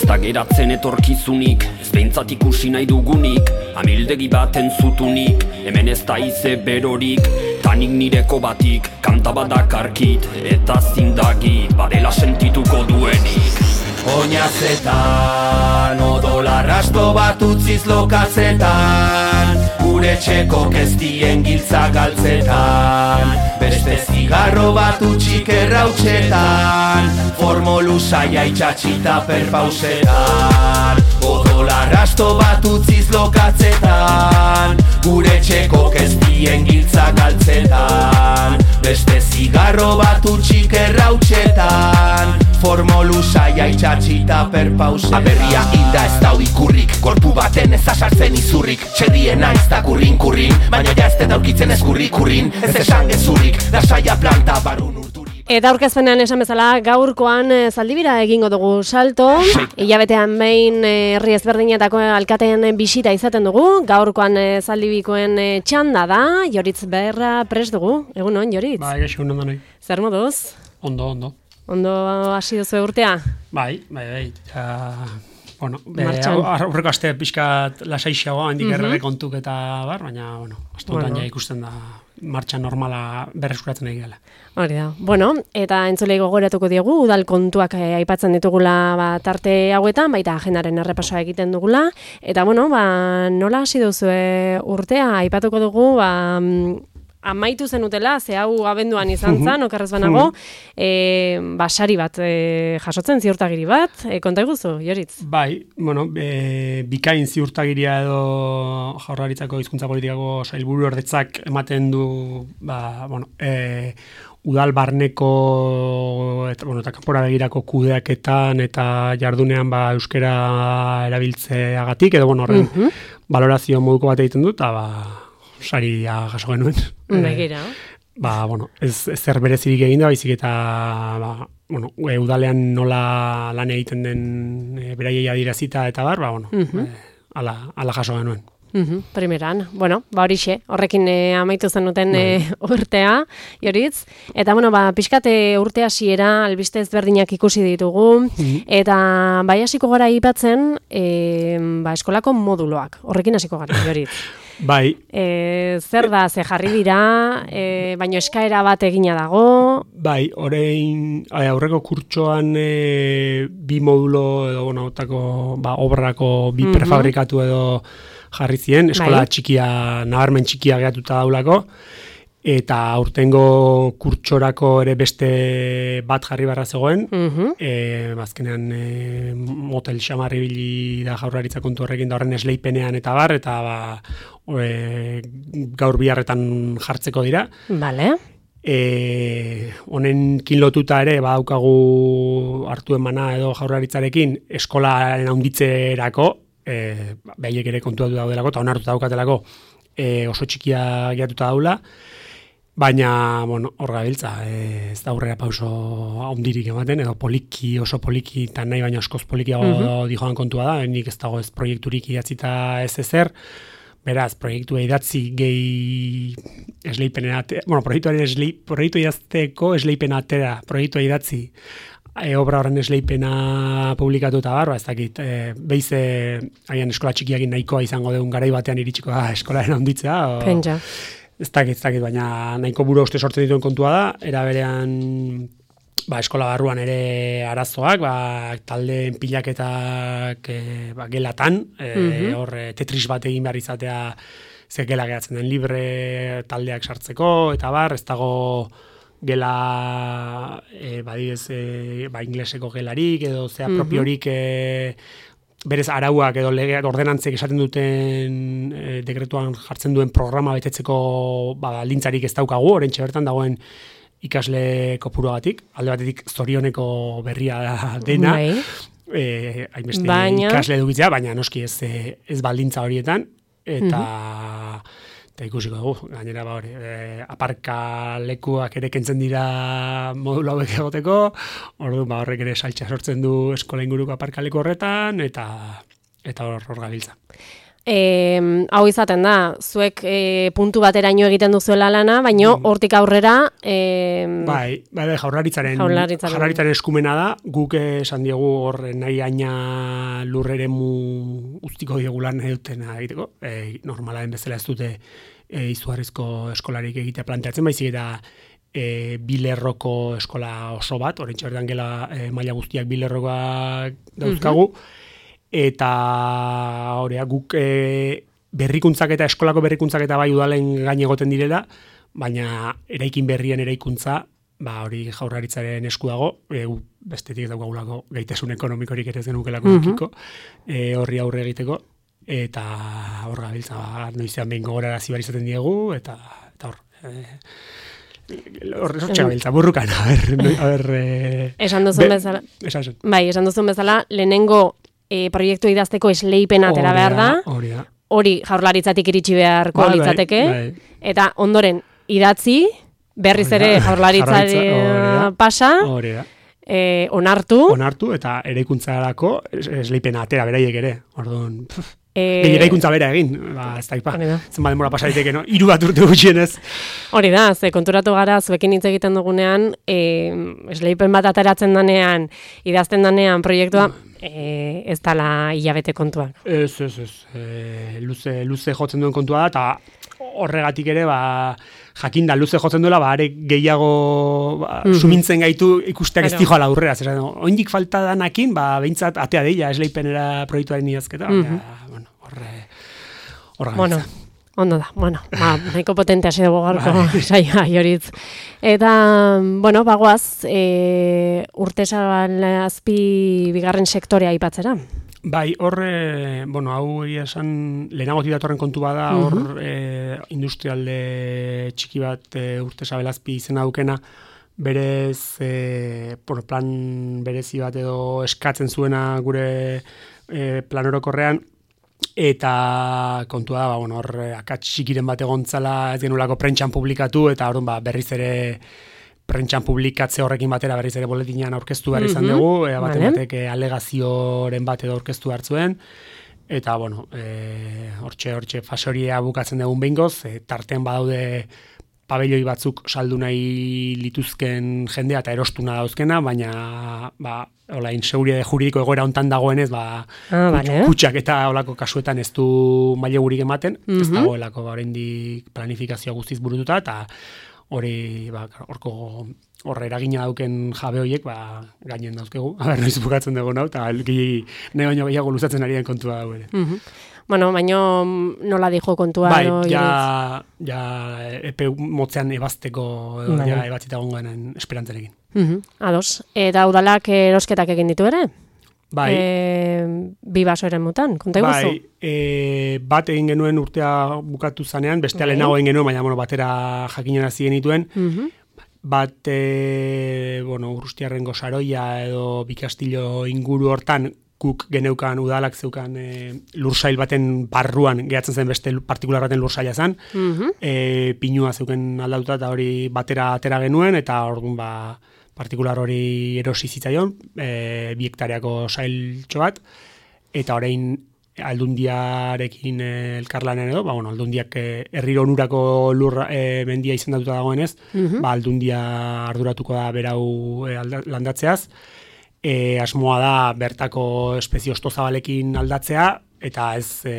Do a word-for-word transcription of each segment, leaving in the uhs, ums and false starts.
da geratzen etorkizunik, ez behintzat ikusi nahi dugunik, amildegi baten zutunik, hemen ez da ize berorik, tanik nireko batik, kanta badakarkit, eta zindagit, badela sentituko duenik. Oinazetan, odolarrasto bat utziz lokatzetan, gure txeko kezdien giltza galtzetan, beste zigarro bat utxik errautxetan, formolu saia itxatxita perpausetan. Odolarrasto bat utziz lokatzetan, gure txeko kezdien giltza galtzetan, beste zigarro bat utxik errautxetan, formolu saia itxatxita perpausetan. Aberria hilda ez dau ikurrik, korpu baten ez asartzen izurrik, txerriena ez da kurrin-kurrin, baina ja ez te daukitzen ez kurri-kurrin, ez esan gezurrik, da saia planta barun urturik. Eta aurkezpenean esan bezala, gaurkoan e, zaldibira egingo dugu salto, hilabetean behin herri e, ezberdinetako alkateen bisita izaten dugu, gaurkoan e, zaldibikoen e, txanda da, Joritz Beherra prest dugu, egun on, Joritz? Bai, gaixo, ondo nahi. Zer moduz? Ondo, ondo. Ondo hasi duzu urtea? Bai, bai, bai. Uh, bueno, aurreko aste pixkat lasaixagoa, handik errege kontuk eta bar, baina, bueno, astotan ja ikusten da martxan normala berreskuratzen nahi gela. Hori da. Bueno, eta entzulei gogoratuko diegu, udal kontuak eh, aipatzen ditugula ba, tarte hauetan, baita agendaren errepasoa egiten dugula, eta bueno, ba, nola hasi duzu urtea, aipatuko dugu, ba, amaitu zenutela, ze hau abenduan izan zen, okerrez banago, e, basari bat e, jasotzen, ziurtagiri bat, e, konta eguzu, Joritz? Bai, bueno, e, bikain ziurtagiria edo Jaurlaritzako hizkuntza politikako sailburu ordetzak ematen du, ba, bueno, e, udal barneko eta, bueno, eta kanpora begirako kudeaketan eta jardunean ba, euskera erabiltzeagatik, edo bueno, horren uh-huh. balorazio moduko bat egiten du, eta ba, saria jaso genuen. Begira. E, ba, bueno, ez, ez zer berezirik egin da, baizik eta ba, bueno, e, udalean nola lan egiten den e, beraiei adirazita eta bar, ba, bueno, uh-huh. e, ala, ala jaso genuen. Uhum, primeran, bueno, ba horixe, horrekin e, amaitu zenuten e, urtea, Joritz, eta bueno, ba, pixkate urte hasiera albiste ezberdinak ikusi ditugu, uhum. eta bai hasiko gara aipatzen e, ba, eskolako moduloak, horrekin hasiko gara, Joritz. Bai. E, zer da, ze jarri dira, e, baino eskaera bat egina dago? Bai, orain aurreko kurtsoan e, bi modulo edo, bueno, otako, ba, obrako bi uhum. prefabrikatu edo jarri zien, eskola bai. Txikia, nabarmen txikia gehatuta daulako, eta aurtengo kurtsorako ere beste bat jarri barra zegoen, uh-huh. e, azkenean e, motel xamarri bili da Jaurlaritza kontu horrekin da horren esleipenean eta bar, eta ba, e, gaur biharretan jartzeko dira. Vale. E, honenkin lotuta ere badaukagu hartu emana edo Jaurlaritzarekin eskolaren handitzerako, E, behiek ere kontuatu daudelako, eta onartuta daukatelako e, oso txikia gehiatuta daula, baina, bueno, hor gabiltza, e, ez da aurrera pauso handirik ematen, edo poliki, oso poliki, eta nahi baina askoz polikiago uh-huh. dijoan kontua da, nik ez dago ez proiekturik idatzita ez ezer, beraz, proiektu idatzi gehi esleipenera, bueno, proiektu esli, proiektu idazteko esleipena atera, proiektu idatzi, E, obra horren esleipena publikatu eta barba, ez dakit, e, beize haian eskola txikiakin nahikoa izango deun garai batean iritsiko da eskolaren handitzea. O, Pentsa. Ez dakit, ez dakit, baina nahiko buru uste sortzen dituen kontua da, era berean ba, eskola barruan ere arazoak, ba, taldeen pilaketak e, ba, gelatan, e, uh-huh. hor tetris bat egin behar izatea ze gela geratzen den libre taldeak sartzeko, eta bar, ez dago gela e, badidez e, ba, ingleseko gelarik edo zea uh-huh. propiorik e, berez arauak edo legeak ordenantzek esaten duten e, dekretuan jartzen duen programa betetzeko ba, lintzarik ez daukagu, orentxe bertan dagoen ikasle kopuruagatik, alde batetik zorioneko berria dena, e, hainbeste baina... ikasle edukitzea, baina noski ez, ez baldintza horietan, eta... Uh-huh. Eta ikusiko dugu, gainera ba hori, e, aparka lekuak ere kentzen dira modulu hauek egoteko, orduan ba horrek ere saltza sortzen du eskola inguruko aparka leku horretan, eta eta hor hor gabiltza. E, hau izaten da, zuek e, puntu bateraino egiten duzuela lana, baino hortik aurrera... E, bai, bai, jaurlaritzaren, jaurlaritzaren. jaurlaritzaren eskumena da, guk esan diegu hor nahi aina lurreremu ustiko diegula nahi dutena egiteko, e, normalaren bezala ez dute e, izugarrizko eskolarik egitea planteatzen, baizik eta e, bilerroko eskola oso bat, orentxe berdan gela e, maila guztiak bilerrokoak dauzkagu, mm-hmm. Eta horea, guk e, berrikuntzak eta eskolako berrikuntzak eta bai udalen gain egoten direla, baina eraikin berrien eraikuntza, ba hori jaurlaritzaren esku dago, e, bestetik ez daukagulako gaitasun ekonomikorik ere ez genukelako mm-hmm. e, horri aurre egiteko, eta hor gabiltza, ba, noizean behin gogorarazi bar izaten diegu, eta, eta hor... E, Horre sortxe gabiltza, burrukan, a ber... A ber e, esan duzun bezala. Esan bai, esan duzun bezala, lehenengo E, proiektu idazteko esleipen atera behar da, hori, hori jaurlaritzatik iritsi beharko ba, litzateke, bai, bai. Eta ondoren idatzi, berriz ere jaurlaritzaren pasa, e, onartu, onartu eta eraikuntzarako esleipena atera beraiek ere, orduan, e, eraikuntza bera egin, ba, ez da ipa, zenba denbora pasariteke, no? Hiru bat urte gutxienez. Hori da, ze konturatu gara, zuekin hitz egiten dugunean, e, esleipen bat ateratzen danean, idazten danean proiektua, E, ez dala hilabete kontuak. Ez, ez, ez. E, luze, luze jotzen duen kontua da, eta horregatik ere, ba, jakinda luze jotzen duela, ba, are gehiago ba, mm-hmm. sumintzen gaitu ikusteak ez dijoala aurrera. Zer, oindik falta danakin, ba, behintzat atea deila, esleipenera proiektuaren idazketa. Mm-hmm. Ja, bueno, horre, horre bueno. Ondo da, bueno, ba, nahiko potente hasi dugu gaurko saioa joritz. Eta, bueno, bagoaz, e, Urtezabal azpi bigarren sektorea aipatzera. Bai, horre, bueno, hau esan lehenagotik datorren kontu bada, hor uh-huh. e, industrialde txiki bat e, Urtezabal azpi izena dukena, berez, e, bueno, plan berezi bat edo eskatzen zuena gure e, plan orokorrean, eta kontua da, ba, bueno, hor akats txikiren bat egontzala ez genulako prentxan publikatu, eta hor ba, berriz ere prentxan publikatze horrekin batera berriz ere boletinean aurkeztu behar izan dugu, mm-hmm. e, baten batek alegazioren bat edo aurkeztu hartzuen, eta, bueno, e, hortxe, hortxe fasoria bukatzen dugun behingoz, e, tartean badaude pabelloi batzuk saldu nahi lituzken jendea eta erostuna dauzkena, baina ba, hola, inseguritate juridiko egoera hontan dagoenez, ba, ah, vale. Kutxak eta holako kasuetan ez du mailegurik ematen, mm-hmm. ez dagoelako ba, oraindik planifikazioa guztiz burututa, eta hori, ba, horko horre eragina dauken jabe horiek, ba, gainen dauzkegu, aber noiz bukatzen dugu nau, eta nahi baino gehiago luzatzen ari den kontua dago ere. Mm-hmm. Bueno, baino nola dijo kontua. Bai, no, ja, ja epe motzean ebazteko, vale. Ja ebatzita gongoen esperantzarekin. Uh-huh. Ados. Eta udalak erosketak egin ditu ere? Bai. E, bi basoren mutan, konta iguzu? Bai, e, bat egin genuen urtea bukatu zanean, bestea bai. Lehenago egin genuen, baina bueno, batera jakinen hasi genituen. Uh-huh. Bat, e, bueno, Urrustiarren Gosaroia edo Bikastillo inguru hortan, guk geneukan udalak zeukan e, lursail baten barruan gehatzen zen beste partikular baten lursaila zen, mm-hmm. e, pinua zeuken aldauta eta hori batera atera genuen, eta orduan ba, partikular hori erosi zitzaion, e, bi hektareako sailtxo bat, eta orain aldundiarekin e, elkarlanen edo, ba, bueno, aldundiak e, herriro onurako lur e, mendia izendatuta dagoenez, mm-hmm. ba, aldundia arduratuko da berau e, alda, landatzeaz, E, asmoa da bertako espezie ostozabalekin aldatzea, eta ez e,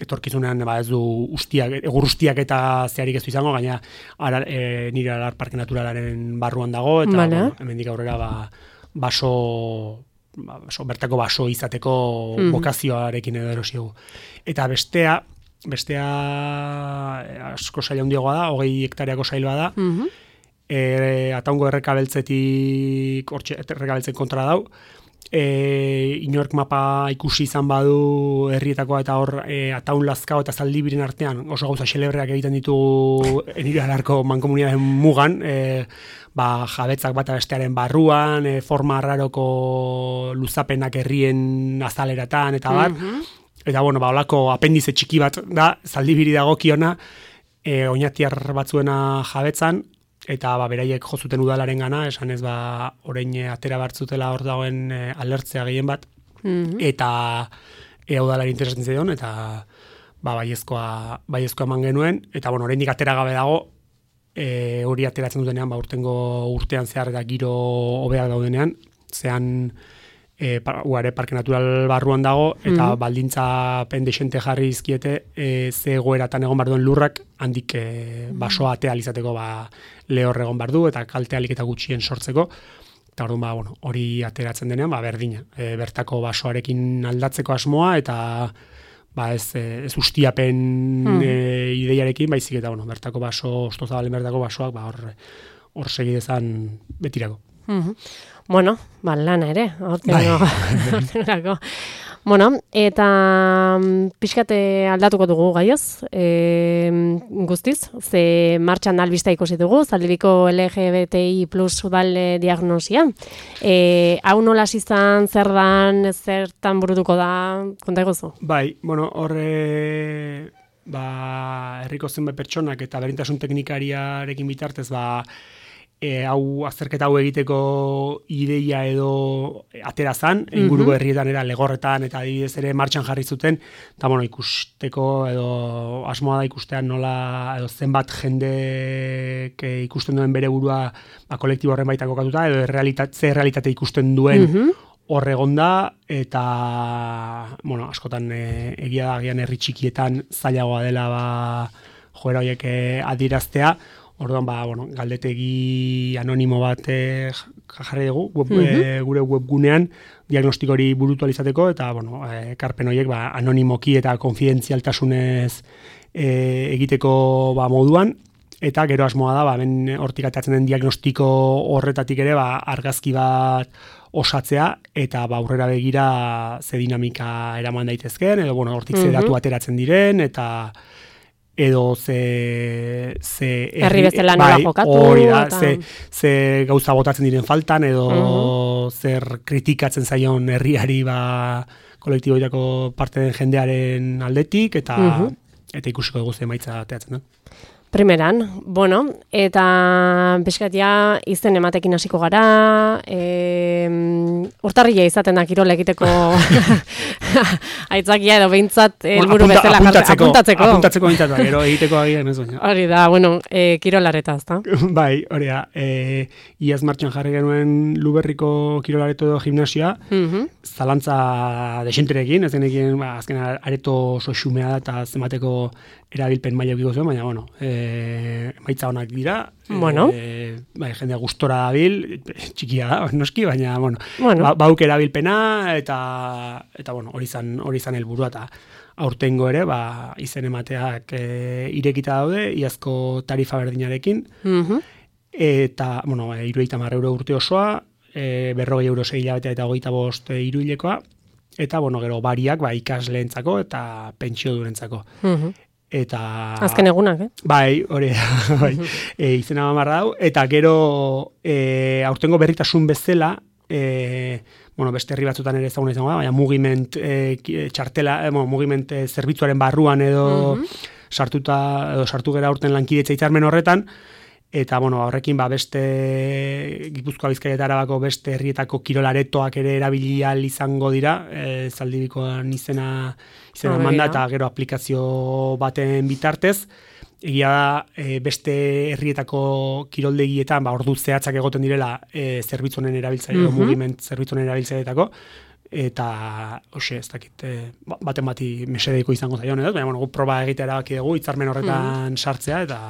etorkizunean ba, ez du ustiak, egur ustiak eta zeharik ez du izango, gaina ara, e, nire alar parke naturalaren barruan dago, eta vale. Bueno, hemendik aurrera ba, baso, ba, baso, bertako baso izateko mm-hmm. bokazioarekin edo erosiegu. Eta bestea, bestea asko saila handiagoa da, hogei hektareako sailua da, mm-hmm. E, ataungo errekabeltzetik hortxe errekabeltzen kontra dau, e, inork mapa ikusi izan badu herrietakoa eta hor e, ataun lazkao eta zaldibiren artean oso gauza xelebreak egiten ditugu nire alarko mankomunitateen mugan, e, ba, jabetzak bata bestearen barruan, e, forma arraroko luzapenak herrien azaleratan eta bar, mm-hmm. eta bueno, ba, olako apendize txiki bat da, zaldibiri dagokiona, e, oinatiar batzuena jabetzan, eta ba, beraiek jozuten udalaren gana, esan ez ba, orain atera bartzutela hor dagoen e, alertzea gehien bat, mm-hmm. eta ea udalari interesatzen zion, eta ba, baiezkoa, baiezkoa eman genuen, eta bueno, oraindik atera gabe dago, e, hori ateratzen dutenean, ba, urtengo urtean zehar eta giro hobeak daudenean, zean e, uare parke natural barruan dago, eta mm-hmm. baldintzapen desente jarri izkiete, e, ze egoeratan egon behar duen lurrak, handik e, basoa atea izateko ba, lehor egon behar du, eta kalte alik eta gutxien sortzeko, eta orduan, ba, bueno, hori ateratzen denean, ba, berdina, e, bertako basoarekin aldatzeko asmoa, eta ba, ez, ez ustiapen mm. e, ideiarekin, baizik eta, bueno, bertako baso, ostozabalen bertako basoak, ba, hor, hor segidezan betirako. Mm-hmm. Bueno, ba, lana ere, hortengo. Bueno, eta pixkate aldatuko dugu gaioz, e, guztiz, ze martxan albista ikusi dugu, Zaldibiko L G B T I plus udal diagnosia. E, hau nola izan, zer dan, zertan burutuko da, konta egozu? Bai, bueno, horre, ba, herriko zenbait pertsonak eta berdintasun teknikariarekin bitartez, ba, E, hau azterketa hau egiteko ideia edo atera zan, inguruko mm-hmm. herrietan era legorretan eta adibidez ere martxan jarri zuten, eta bueno, ikusteko edo asmoa da ikustean nola edo zenbat jendek ikusten duen bere burua ba, kolektibo horren baita kokatuta, edo realitate, ze realitate ikusten duen mm-hmm. hor egonda, eta bueno, askotan e, egia da gian herri txikietan zailagoa dela ba, joera horiek e, adieraztea. Orduan, ba, bueno, galdetegi anonimo bat eh, jarri dugu, web, mm-hmm. eh, gure webgunean diagnostiko hori burutu alizateko, eta, bueno, ekarpen horiek ba, anonimoki eta konfidentzialtasunez eh, egiteko ba, moduan, eta gero asmoa da, ba, ben hortik atatzen den diagnostiko horretatik ere, ba, argazki bat osatzea, eta ba, aurrera begira ze dinamika eraman daitezken, edo, bueno, hortik mm-hmm. ze datu ateratzen diren, eta edo ze ze herri bezala nola jokatu, hori da, eta... ze, ze gauza botatzen diren faltan, edo uh-huh. zer kritikatzen zaion herriari ba kolektiboetako parte den jendearen aldetik, eta uh-huh. eta ikusiko dugu ze emaitza ateratzen da. Primeran, bueno, eta pixkatia izen ematekin hasiko gara, e, urtarrila izaten da kirola egiteko aitzakia edo behintzat helburu bueno, bezala apuntatzeko, apuntatzeko. Apuntatzeko behintzat, gero egiteko agian ez baina. Hori da, bueno, e, kirolareta, ezta? Bai, hori da, e, iaz martxan jarri genuen Luberriko kirolareto edo gimnasioa, uh-huh. zalantza desenterekin, ez genekien, ba, azken areto oso xumea da eta zemateko erabilpen maila eukiko zuen, baina, bueno, e, emaitza honak dira, bueno. e, bai, jendea gustora dabil, txikia da, noski, baina, bueno, bueno. Ba, bauk erabilpena, eta, eta bueno, hori zan, hori zan helburua, eta aurtengo ere, ba, izen emateak e, irekita daude, iazko tarifa berdinarekin, uh-huh. eta, bueno, e, irueita mar euro urte osoa, e, berrogei euro sei hilabetea eta hogeita bost e, iruilekoa, eta, bueno, gero bariak, ba, ikasleentzako eta pentsio durentzako. Uh-huh. Eta azken egunak, eh? Bai, hori bai. e, izena mamarra dau, eta gero e, aurtengo berritasun bezala, e, bueno, beste herri batzutan ere ezaguna izango da, baina mugiment e, txartela, e, bueno, mugiment e, zerbitzuaren barruan edo uh-huh. sartuta edo sartu gera aurten lankidetza hitzarmen horretan, eta bueno, horrekin ba beste Gipuzkoa, Bizkaia eta Arabako beste herrietako kirolaretoak ere erabili ahal izango dira, e, Zaldibikoan izena izena manda eta gero aplikazio baten bitartez. Egia da e, beste herrietako kiroldegietan ba ordu zehatzak egoten direla e, zerbitzu honen erabiltzaile edo Mhm. mugiment zerbitzu honen erabiltzaileetako, eta hoxe, ez dakit, e, ba- baten bati mesedeiko izango zaion, edo, baina bueno, gu proba egitea erabaki dugu hitzarmen horretan sartzea, eta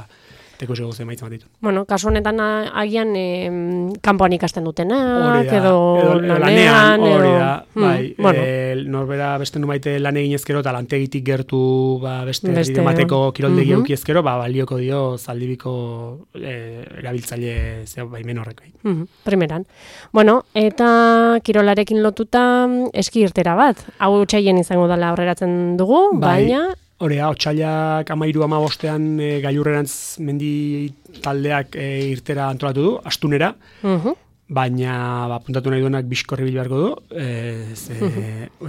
teko zego emaitza bat ditu. Bueno, kasu honetan a- agian em, kanpoan ikasten dutenak, Hori da, edo, edo lanean, hori edo... da, bai, Mm, bueno, e, norbera beste numaite lan egin ezkero, eta lantegitik gertu ba, beste, Beste, beste mateko kiroldegi mhm. auki ezkero, ba, balioko dio Zaldibiko e, erabiltzaile zea baimen horrek. mhm, primeran. Bueno, eta kirolarekin lotuta eski irtera bat. Hau txaien izango dela aurreratzen dugu, Bai. baina... Hori da, otsailak amairu amabostean e, gailurrerantz mendi taldeak e, irtera antolatu du, astunera, Mhm. baina ba, puntatu nahi duenak bizkorri bil beharko du, e, ze,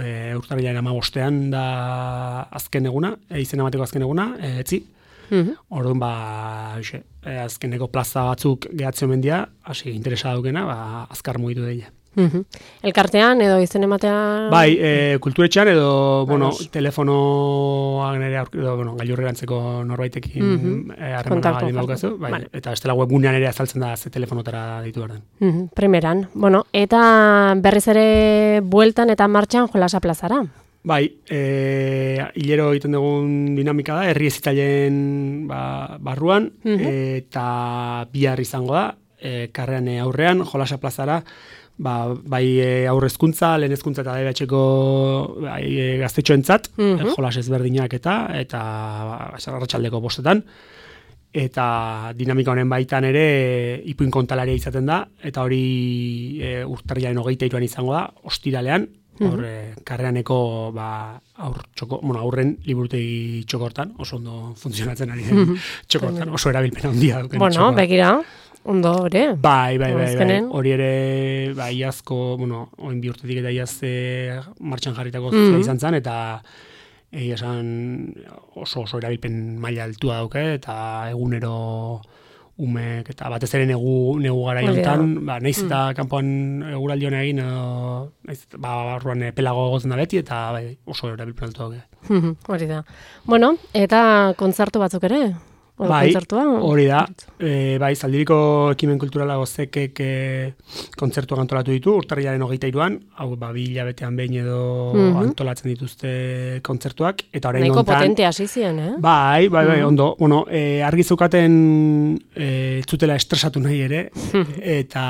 e, urtarrilaren amabostean da azken eguna, e, izen emateko azken eguna, e, etzi. Mhm. Orduan, ba, hoxe, e, azkeneko plaza batzuk gehatzen mendia, hasi interesa daukena, ba, azkar mugitu deia. Mhm. Elkartean edo izen ematea... Bai, e, kulturetxean edo, bueno, telefonoak nire edo, bueno, gailurrerantzeko norbaitekin harremana mm-hmm. e, daukazu, bai, vale. Eta bestela webgunean ere azaltzen da ze telefonotara ditu behar den. Mm-hmm. Primeran, bueno, eta berriz ere bueltan eta martxan Jolasa plazara. Bai, e, hilero egiten dugun dinamika da, herri ezitailen ba, barruan, mm-hmm. eta bihar izango da, e, karrean aurrean, Jolasa plazara, ba, bai aurre hezkuntza, lehen hezkuntza eta D B H-ko bai, gaztetxoentzat, mm-hmm. jolas ezberdinak eta, eta ba, arratsaldeko bostetan, eta dinamika honen baitan ere ipuin kontalaria izaten da, eta hori e, urtarrilaren hogeita hiruan izango da, ostiralean, hor, mm-hmm. karreaneko ba, aur txoko, bueno, aurren liburutegi txokortan, oso ondo funtzionatzen ari den mm-hmm. txokortan, oso erabilpena handia duken bueno, txokortan. Bueno, begira, ondo, ere? Bai, bai, bai, bai, hori ere, bai, iazko, bueno, oin bi urtetik eta iaz e, martxan jarritako mm-hmm. izan zen, eta egia esan oso oso erabilpen maila altua dauke, eta egunero umek, eta batez ere negu, negu gara jontan, ba, nahiz eta mm. kanpoan eguraldi hona egin, edo, nahiz, ba, barruan pelago gozen da beti, eta bai, oso erabilpen altu dauke. Hori da. Bueno, eta kontzertu batzuk ere? Oda bai, kontzertua? Hori da. E, bai, Zaldiriko ekimen kulturala gozekek e, kontzertuak antolatu ditu, urtarrilaren hogeita hiruan, hau ba, bi hilabetean behin edo mm-hmm. antolatzen dituzte kontzertuak. Eta orain nahiko hontan, potente hasi ziren, eh? Bai, bai, bai, mm-hmm. ondo. Bueno, e, argi zeukaten e, zutela estresatu nahi ere, eta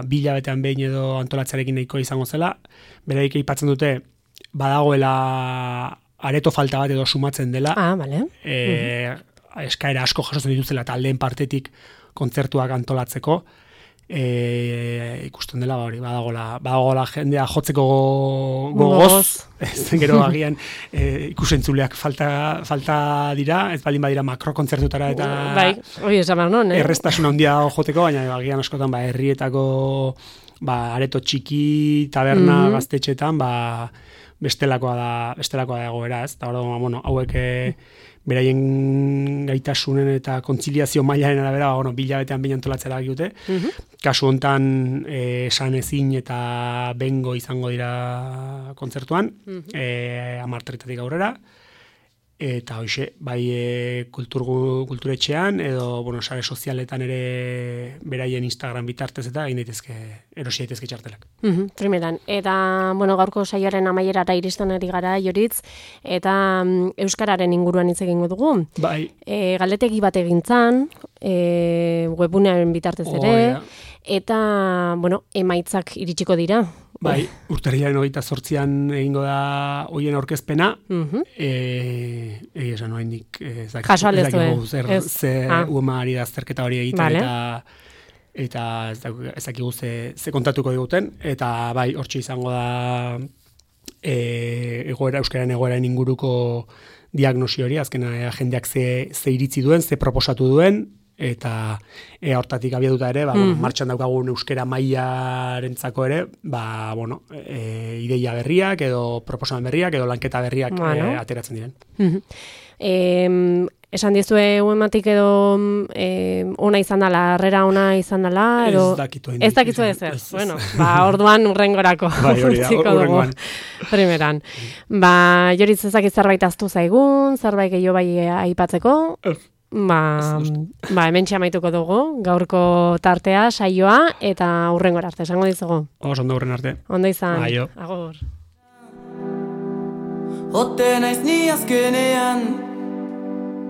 bi hilabetean behin edo antolatzarekin nahiko izango zela, beraik aipatzen dute, badagoela areto falta bat edo sumatzen dela. Ah, bale. E, mm-hmm. eskaera asko jasotzen dituzela taldeen partetik kontzertuak antolatzeko, e, ikusten dela hori, badagola, badagola jendea jotzeko gogoz, ez gero agian e, ikusentzuleak falta, falta dira, ez baldin badira makrokontzertutara eta bai, hori esan behar non, eh? erreztasun handia joteko, baina agian askotan ba, herrietako ba, areto txiki, taberna, mm-hmm. gaztetxetan, ba, bestelakoa da, bestelakoa da egoera, ez? Eta hori, bueno, hauek beraien gaitasunen eta kontziliazio mailaren arabera, bueno, bilabetean behin antolatzera dute. Mm-hmm. Kasu hontan eh, esan ezin eta bengo izango dira kontzertuan, mm-hmm. eh, amarterretatik aurrera. Eta hoxe, bai e, kultur, kulturetxean edo bueno, sare sozialetan ere beraien Instagram bitartez eta egin daitezke, erosi daitezke txartelak. Mm-hmm, primeran. Eta bueno, gaurko saioaren amaierara iristen ari gara, Joritz, eta um, euskararen inguruan hitz egingo dugu. Bai. E, galdetegi bat egintzan, e, webgunearen bitartez ere, oh, yeah. Eta bueno, emaitzak iritsiko dira. Bai, urtarrilaren hogeita zortzian egingo da hoien aurkezpena, mm-hmm. e, egia esan oraindik ez dakigu zer ze ah. uema ari da azterketa hori egiten, vale. eta eta ez dakigu ze, ze kontatuko diguten, eta bai, hortxe izango da e, egoera, euskararen egoeraren inguruko diagnosi hori, azkena jendeak ze, ze iritzi duen, ze proposatu duen, eta e, hortatik abiatuta ere, ba, mm-hmm. bueno, martxan daukagun euskera mailarentzako ere, ba, bueno, e, ideia berriak edo proposamen berriak edo lanketa berriak bueno. e, ateratzen diren. Mm-hmm. E, esan dizue uematik edo e, ona izan dela, harrera ona izan dela, edo ez dakitu ez dakitu ez ez. Bueno, ba, orduan urrengorako. Bai, hori da, urrengoan. Primeran. Ba, Joritz ezakit zerbait aztu zaigun, zerbait gehiago bai aipatzeko. Ba, ba, hemen txamaituko dugu, gaurko tartea, saioa, eta hurrengora arte, esango dizugu. Oso, ondo hurren arte. Ondo izan. Aio. Agur. Ote naiz ni azkenean,